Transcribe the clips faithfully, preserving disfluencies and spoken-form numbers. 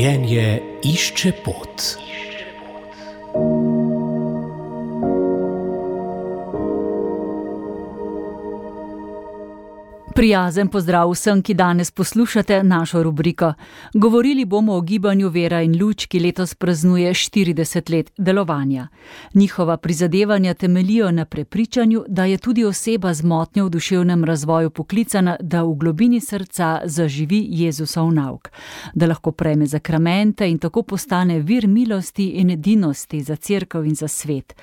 Življenje išče pot. Prijazen pozdrav vsem, ki danes poslušate našo rubriko. Govorili bomo o gibanju Vera in luč, ki letos praznuje štirideset let delovanja. Njihova prizadevanja temeljijo na prepričanju, da je tudi oseba z motnjo v duševnem razvoju poklicana, da v globini srca zaživi Jezusov nauk, da lahko prejme zakramente in tako postane vir milosti in edinosti za cerkev in za svet.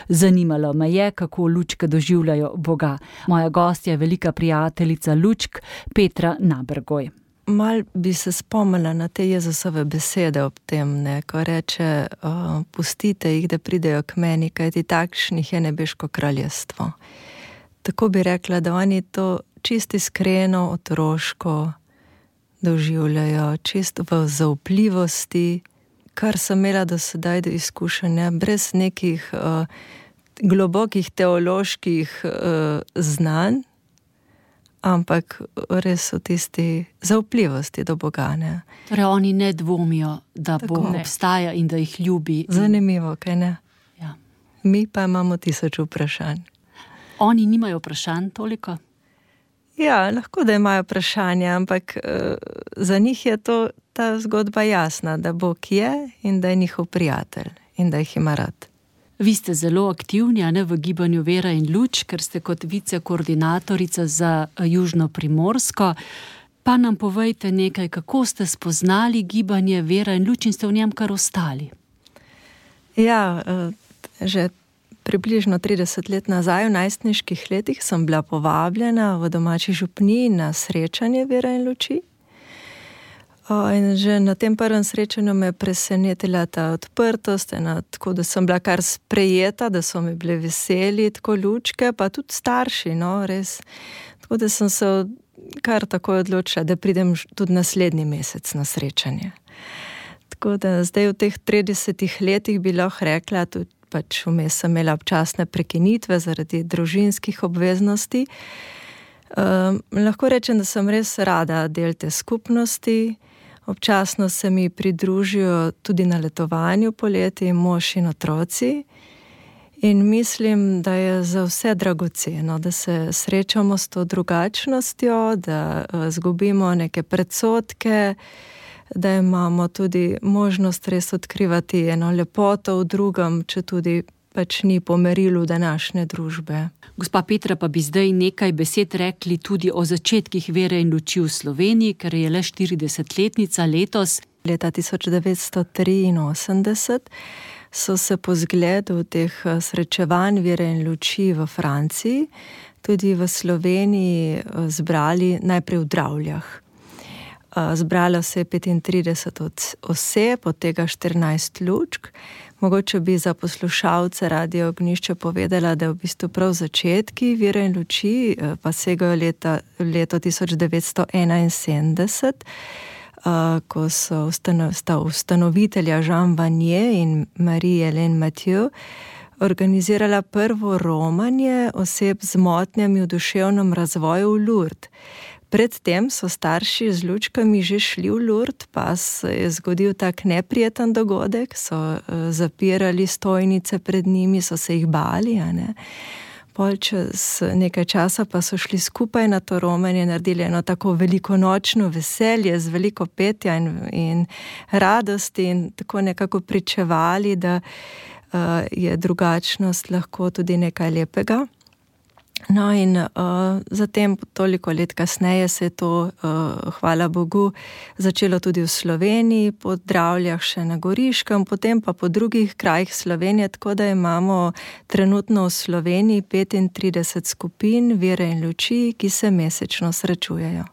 Zanimalo me je, kako lučke doživljajo Boga. Moja gostja je velika prijateljica lučk, Petra Nabergoj. Mal bi se spomnila na te Jezusove besede ob tem, ne, ko reče, uh, pustite jih, da pridejo k meni, kajti takšnih je nebeško kraljestvo. Tako bi rekla, da oni to čisto iskreno, otroško doživljajo, čisto v zaupljivosti, kar sem imela do sedaj do izkušanja, brez nekih uh, globokih teoloških uh, znanj, ampak res v tisti zaupljivosti do Boga. Ne? Torej oni ne dvomijo, da Tako, Bog ne. obstaja in da jih ljubi. Zanimivo, kaj ne? Ja. Mi pa imamo tisoč vprašanj. Oni nimajo vprašanj toliko? Ja, lahko da imajo vprašanja, ampak uh, za njih je to, ta zgodba jasna, da Bog je in da je njihov prijatelj in da jih ima rad. Vi ste zelo aktivni, a ne, v gibanju Vera in luč, ker ste kot vicekoordinatorica za Južno Primorsko. Pa nam povejte nekaj, kako ste spoznali gibanje Vera in luč in ste v njem kar ostali. Ja, že približno trideset let nazaj, v najstniških letih, sem bila povabljena v domači župniji na srečanje Vera in luči. In že na tem prvem srečanju me je presenetila ta odprtost, ena, tako da sem bila kar sprejeta, da so mi bili veseli, tako lučke, pa tudi starši, no, res. Tako da sem se kar takoj odločila, da pridem tudi naslednji mesec na srečanje. Tako da zdaj v teh tridesetih letih bi lahko rekla, tudi pač vmes sem imela občasne prekinitve zaradi družinskih obveznosti. Um, lahko rečem, da sem res rada del te skupnosti. Občasno se mi pridružijo tudi na letovanju poleti mož in otroci in mislim, da je za vse dragoceno, da se srečamo s to drugačnostjo, da izgubimo neke predsodke, da imamo tudi možnost res odkrivati eno lepoto v drugem, če tudi pač ni po merilu današnje družbe. Gospa Petra, pa bi zdaj nekaj besed rekli tudi o začetkih Vere in luči v Sloveniji, ker je le štiridesetletnica letos. Leta tisoč devetsto triinosemdeset so se po zgledu teh srečevanj Vere in luči v Franciji, tudi v Sloveniji zbrali najprej v Dravljah. Zbralo se je petintrideset oseb, od tega štirinajst lučk. Mogoče bi za poslušalce Radio Ognjišče povedala, da v bistvu prav začetki Vere in luči pa segajo leta, leto tisoč devetsto enainsedemdeset, ko so ustano, sta ustanovitelja Jean Vanier in Marie-Hélène Mathieu organizirala prvo romanje oseb z motnjami v duševnem razvoju v Lourdes. Predtem so starši z lučkami že šli v Lourdes, pa se je zgodil tak neprijeten dogodek, so uh, zapirali stojnice pred njimi, so se jih bali, a ne. Pol čez nekaj časa pa so šli skupaj na to romanje, naredili eno tako velikonočno veselje z veliko petja in, in radosti in tako nekako pričevali, da uh, je drugačnost lahko tudi nekaj lepega. No in uh, zatem toliko let kasneje se je to, uh, hvala Bogu, začelo tudi v Sloveniji, po Dravljah še na Goriškem, potem pa po drugih krajih Slovenije, tako da imamo trenutno v Sloveniji petintrideset skupin Vere in luči, ki se mesečno srečujejo.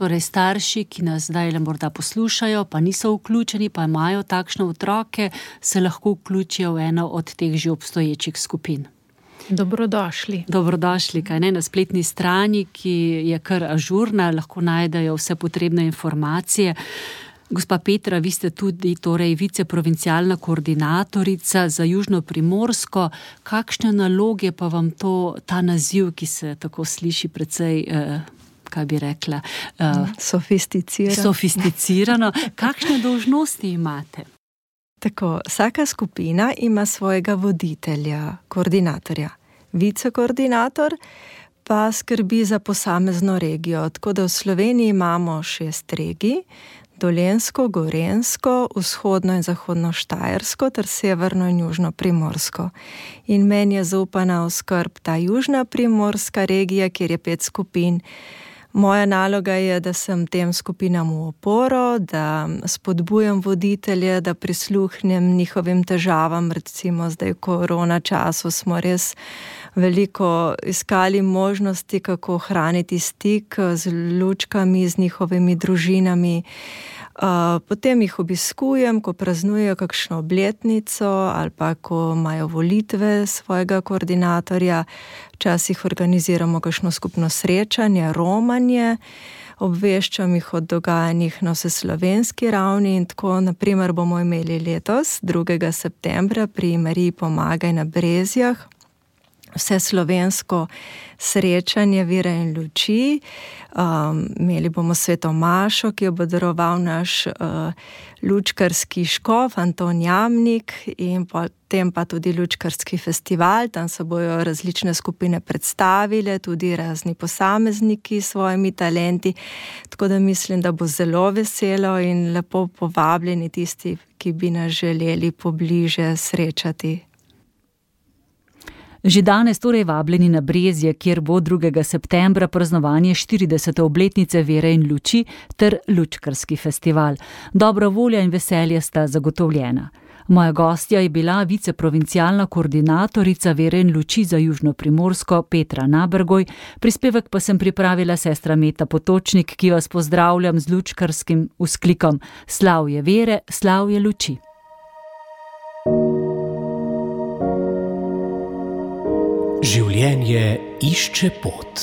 Torej starši, ki nas zdaj le morda poslušajo, pa niso vključeni, pa imajo takšne otroke, se lahko vključijo v eno od teh že obstoječih skupin. Dobrodošli. Dobrodošli, kaj ne, na spletni strani, ki je kar ažurna, lahko najdejo vse potrebne informacije. Gospa Petra, vi ste tudi torej viceprovincialna koordinatorica za Južno Primorsko. Kakšne naloge pa vam to, ta naziv, ki se tako sliši precej eh, kaj bi rekla, uh, sofisticirano. sofisticirano. Kakšne dolžnosti imate? Tako, vsaka skupina ima svojega voditelja, koordinatorja. Vicekoordinator pa skrbi za posamezno regijo. Tako da v Sloveniji imamo šest regij, Dolenjsko, Gorenjsko, vzhodno in zahodno Štajersko ter severno in južno Primorsko. In meni je zaupana v skrb ta južna Primorska regija, kjer je pet skupin. Moja naloga je, da sem tem skupinam v oporo, da spodbujam voditelje, da prisluhnem njihovim težavam. Recimo zdaj v korona času smo res veliko iskali možnosti, kako ohraniti stik z lučkami, z njihovimi družinami. Potem jih obiskujem, ko praznujejo kakšno obletnico ali pa ko imajo volitve svojega koordinatorja. Včasih organiziramo kakšno skupno srečanje, romanje, obveščam jih o dogajanjih na vseslovenski ravni in tako, naprimer, bomo imeli letos, drugega septembra, pri Mariji Pomagaj na Brezjah, vse slovensko srečanje vere in luči. Um, imeli bomo sveto mašo, ki jo bo daroval naš uh, lučkarski škof Anton Jamnik, in potem pa tudi lučkarski festival. Tam se bojo različne skupine predstavile, tudi razni posamezniki s svojimi talenti. Tako da mislim, da bo zelo veselo in lepo povabljeni tisti, ki bi nas želeli pobliže srečati. Že danes torej vabljeni na Brezje, kjer bo drugega septembra praznovanje štiridesete obletnice vere in luči ter lučkarski festival. Dobra volja in veselje sta zagotovljena. Moja gostja je bila viceprovincialna koordinatorica vere in luči za Južno Primorsko Petra Nabergoj, prispevek pa sem pripravila sestra Meta Potočnik, ki vas pozdravljam z lučkarskim vzklikom: Slavje vere, slavje luči. Življenje išče pot.